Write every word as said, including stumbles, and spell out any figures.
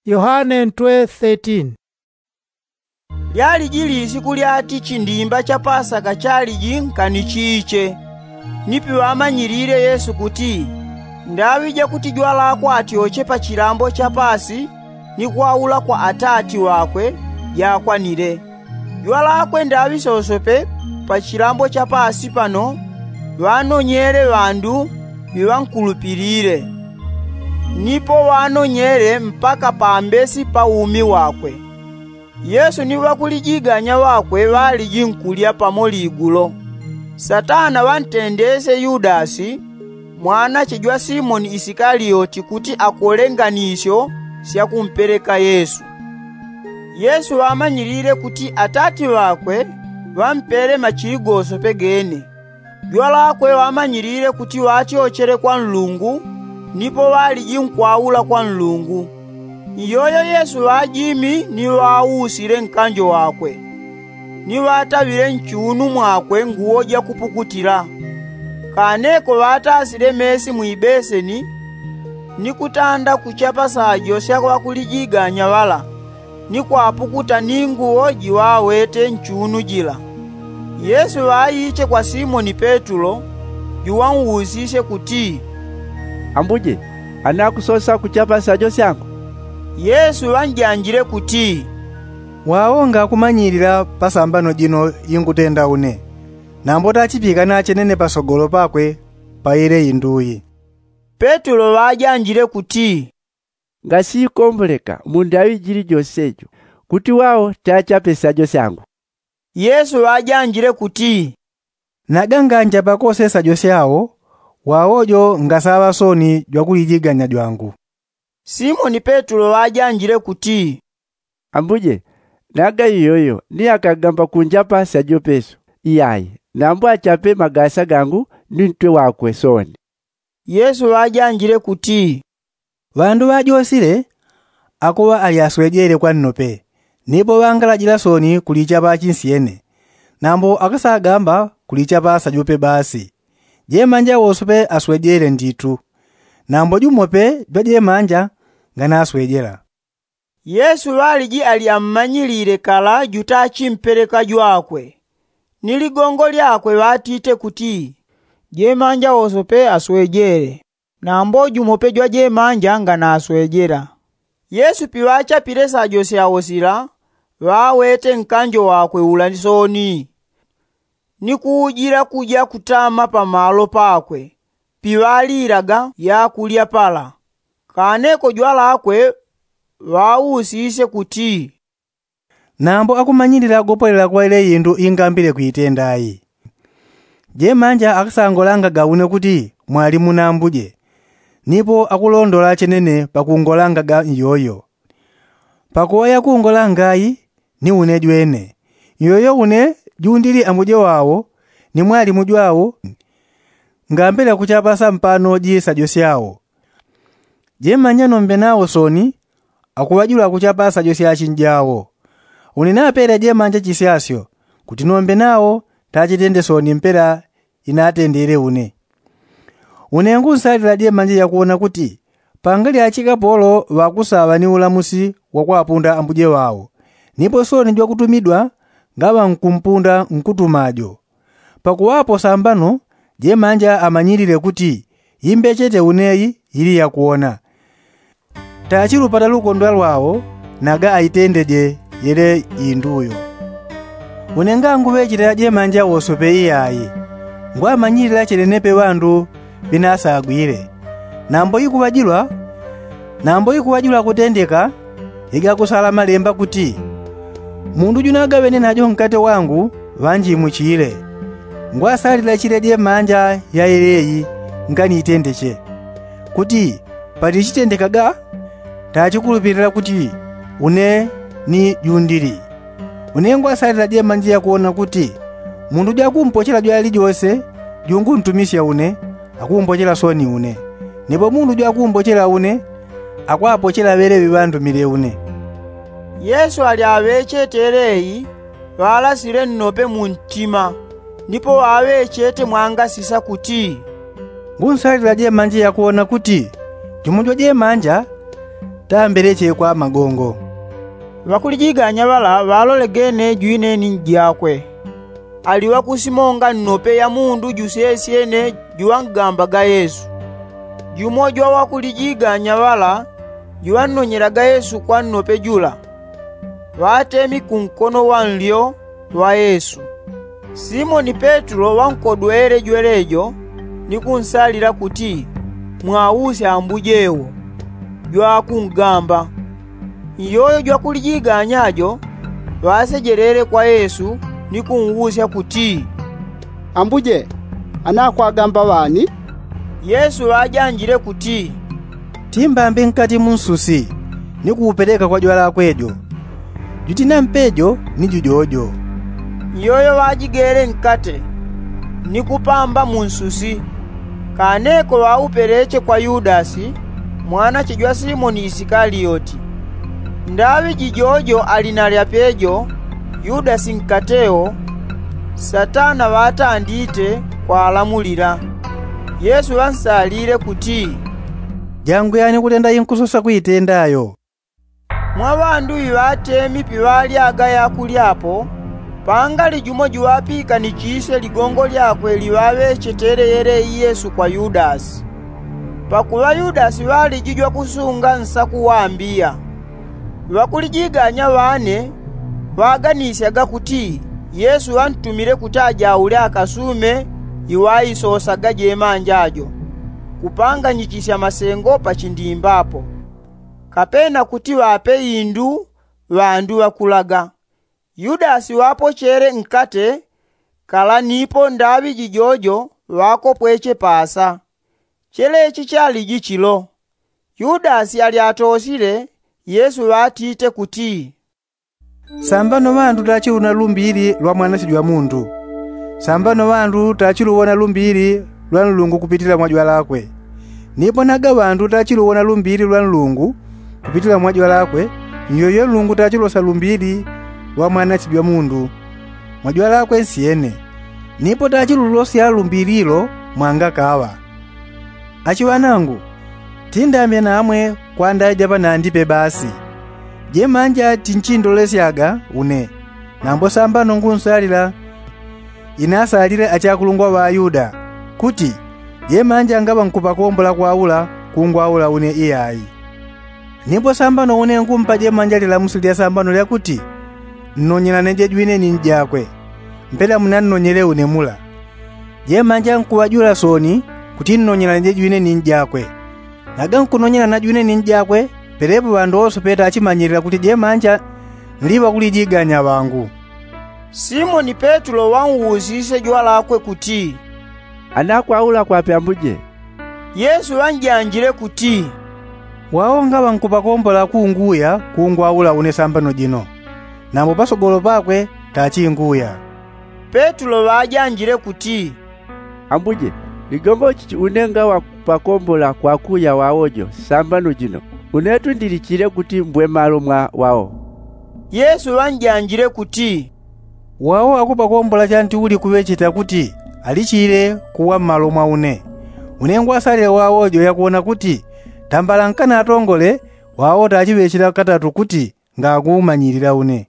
Yohane ntwe thirteen. Lyaliji lisiku lyati chindimba cha pasaka chaliji nkanichiche. Nipi ŵamanyilile yesu kuti, ndaŵi jakuti jwalakwe atyoche pa chilambo cha pasi ni kwaula kwa atati ŵakwe, jakwanile. Jwalakwe ndaŵi sosope pa chilambo cha pasi pano ŵanonyele ŵandu ŵiŵankulupilile, nipo ŵanonyele mpaka pambesi pa umi wakwe. Yesu ni ŵakulijiganya ŵakwe ŵaliji nkulya pamo ligulo. Satana ŵantendesye yudasi, mwanache jwa simoni isikalioti kuti akole nganisyo sya kumpeleka yesu. Yesu ŵamanyilile kuti atati ŵakwe ŵampele machili gosope gene. Jwalakwe ŵamanyilile kuti ŵatyochele kwa nlungu, nipo ŵaliji nkwaula kwa nlungu. Iyoyo yesu ŵajimi ni ŵausile nkanjo wakwe, ni ŵataŵile nchunu mwakwe nguwo jakupukutila. Kaneko ŵatasile mesi mwibeseni, ni kutanda kuchapa sajo sya ŵakulijiganya ŵala, ni kwapukuta ni nguwo jiŵawete nchunu jila. Yesu ŵaiche kwa simoni petulo, juŵausisye kuti, ambuje, anakusosa kuchapa sajo syangu? Yesu ŵanjanjile kuti, wao ngakumanyilila pasambano jino ingutenda une, nambo tachipikana chenene pasogolo pakwe pa ile induyi. Petulo ŵajanjile kuti, ngasikomboleka mu ndaŵi jili jose jo, kuti wao tachape sajo syangu. Yesu ŵajanjile kuti, naga nganja pakose sajo syao, wao jo ngasaŵa soni jwakulijiganya jwangu. Simoni petulo ŵajanjile kuti, ambuje, naga iyoyo ni akagamba kunjapa sajo peso, iyayi, nambo achape magasa gangu ni ntwe wakwe soni. Yesu ŵajanjile kuti, ŵandu ŵajosile akuŵa ali aswejele kwa nnope, nipo ŵangalajila soni kulichapa achinsyene, nambo akasagamba kulichapa sajope basi. Jemanja wosope aswejele nditu, nambo jumope jwajemanja nganaswejela. Yesu ŵaliji ali ammanyilile kala jutachimpeleka jwakwe. Ni ligongo lyakwe ŵatite kuti, jemanja wosope aswejele, nambo jumope jwajemanja nganaswejela. Yesu piŵachapile sajo syao sila, ŵawete nkanjo wakwe ula soni, ni kuujila kuja kutama pamalo pakwe piŵalilaga yakulya pala. Kaneko jwalakwe ŵausisye kuti, nambo akumanyilila gopolela kwa ile indu ingambile kuitenda ayi? Jemanja akasangolangaga une kuti mwalimu nambuje, nipo akulondola chenene pakungolangaga iyoyo. Pakuŵa yakungolanga ayi, ni une jwene, iyoyo une jundili ambuje wao ni mwalimu jwao. Ngambile kuchapa sampano jisajo syao. Jemanja nombe nao soni, akuŵajula kuchapa sajo syachinjao. Une napele jemanja chisyasyo, kuti nombe nao tachitende soni mpela inatendele une. Une ngunsalila jemanja yakuwona kuti pangalyachi kapolo ŵakusaŵa ni ulamusi wakwapunda ambuje ŵao, nipo soni jwakutumidwa ngaŵa nkumpunda nkutuma jo. Pakuŵapo sambano jemanja amanyilile kuti imbechete uneyi ili yakuwona. Tachilupata lukondwa lwao naga aitendeje yele indu uyo. Une nganguŵechete ajemanja wosope iyayi, ngwamanyilila chenenepe ŵandu ŵinasagwile. Nambo ikuŵajilwa nambo ikuŵajilwa kutendeka igakusala malemba kuti, mundu junagaŵene najo nkate wangu ŵanjimuchile. Ngwasalila chile jemanja ya yeleyi nganiitendeche, kuti patichitendekaga tachikulupilila kuti une ni jundili. Une ngwasalila jemanja yakuwona kuti mundu jwakumpochela jwalijose junguntumisya une, akumbochela soni une, nipo mundu jwakumbochela une akwapochela ŵeleŵe ŵandumile une. Yesu ali aŵechete eleyi, ŵalasile nnope muntima, nipo ŵaŵechete mwangasisa kuti, ngunsalila jemanja yakuwona kuti jumo jwajemanja Tambeleche kwa magongo. Ŵakulijiganya ŵala ŵalolegene jwineni njakwe, ali ŵakusimonga nnope ya mundu jusesyene juŵangambaga yesu. Jumo jwa ŵakulijiganya ŵala juŵannonyelaga yesu kwa nnope jula, ŵatemi kunkono wa nlyo wa yesu. Simoni petulo ŵankodwele jwelejo ni kunsalila kuti, mwausya ambuje wo. Jwakungamba. Iyoyo jwakulijiganya jo ŵasejelele kwa yesu ni kunwusya kuti, ambuje, anakwagamba ŵani? Yesu ŵajanjile kuti, timbambe nkati mu nsusi ni kuupeleka kwa jwalakwe jo. Jutinampe jo ni jujojo. Iyoyo ŵajigele nkate ni kupamba mu nsusi. Kaneko ŵaupeleche kwa yudasi, mwanache jwa simoni isikalioti. Ndaŵi jijojo ali na lyapejo yudasi nkateo, satana ŵatandite kwalamulila. Yesu ŵansalile kuti, janguyani kutenda inkusosa kuitenda yo. Mwa ŵandu iŵatemi piŵalyaga yakulyapo, pangali jumo juŵapikanichisye ligongo lyakwe liŵaŵechetele yeleyi yesu kwa yudasi. Pakuŵa yudasi ŵaliji jwakusunga nsaku wambiya. Ŵakulijiganya ŵane ŵaganisyaga kuti yesu ŵantumile kuti ajaule akasume iŵaisosaga jemanja jo, kupanganyichisya masengo pachindimba apo, kapena kuti ŵape indu ŵandu ŵakulaga. Yudasi ŵapochele nkate kala nipo ndaŵi jijojo ŵakopweche pasa. Chelechi chaliji chilo. Yudasi ali atosile, yesu ŵatite kuti, sambano ŵandu tachiluwona lumbili lwa mwanache jwa mundu. Sambano ŵandu tachiluwona lumbili lwa nlungu kupitila mwa jwalakwe. Nipo naga ŵandu tachiluwona lumbili lwa nlungu kupitila mwa jwalakwe, nyoyo nlungu tachilosa lumbili lwa mwanache jwa mundu mwa jwalakwe nsyene. Nipo tachilulosya lumbili lo mwangakaŵa. Achiŵanangu, tindamye namwe kwa ndaja panandi pe basi. Jemanja tinchindolesyaga une, nambo sambano ngunsalila inasalile achakulungwa ŵa ayuda, kuti jemanja ngaŵa nkupakombola kwaula kungwaula une iyai. Nipo sambano une ngumpa jemanja lilamusi lya sambano lya kuti, nnonyelane jejwine ni njakwe, mpela munannonyele une mula. Jemanja nkuŵajula sooni kuti nnonyelane jejwine ni njakwe. Naga nkunonyelana jwine ni njakwe, pelepo ŵandu wose pe tachimanyilila kuti jemanja nli ŵakulijiganya ŵangu. Simoni petulo ŵausisye jwalakwe kuti, anakwaula kwape ambuje? Yesu ŵanjanjile kuti, wao ngaŵa nkupakombola kunguya kungwaula une sambano jino, nambo pasogolo pakwe tachinguya. Petulo ŵajanjile kuti, ambuje, ligongo chichi une ngaŵa kupakombola kwakuya wao jo sambano jino, unetu ndilichile kuti mbwe malo mwa wao. Yesu ŵanjanjile kuti, wao akupakombola chanti uli kuŵecheta kuti alichile kuwa mmalo mwa une. Une ngwasalile wao jo yakuwona kuti tambala nkana atongole, wao tachiŵechela katatu kuti ngakumanyilila une.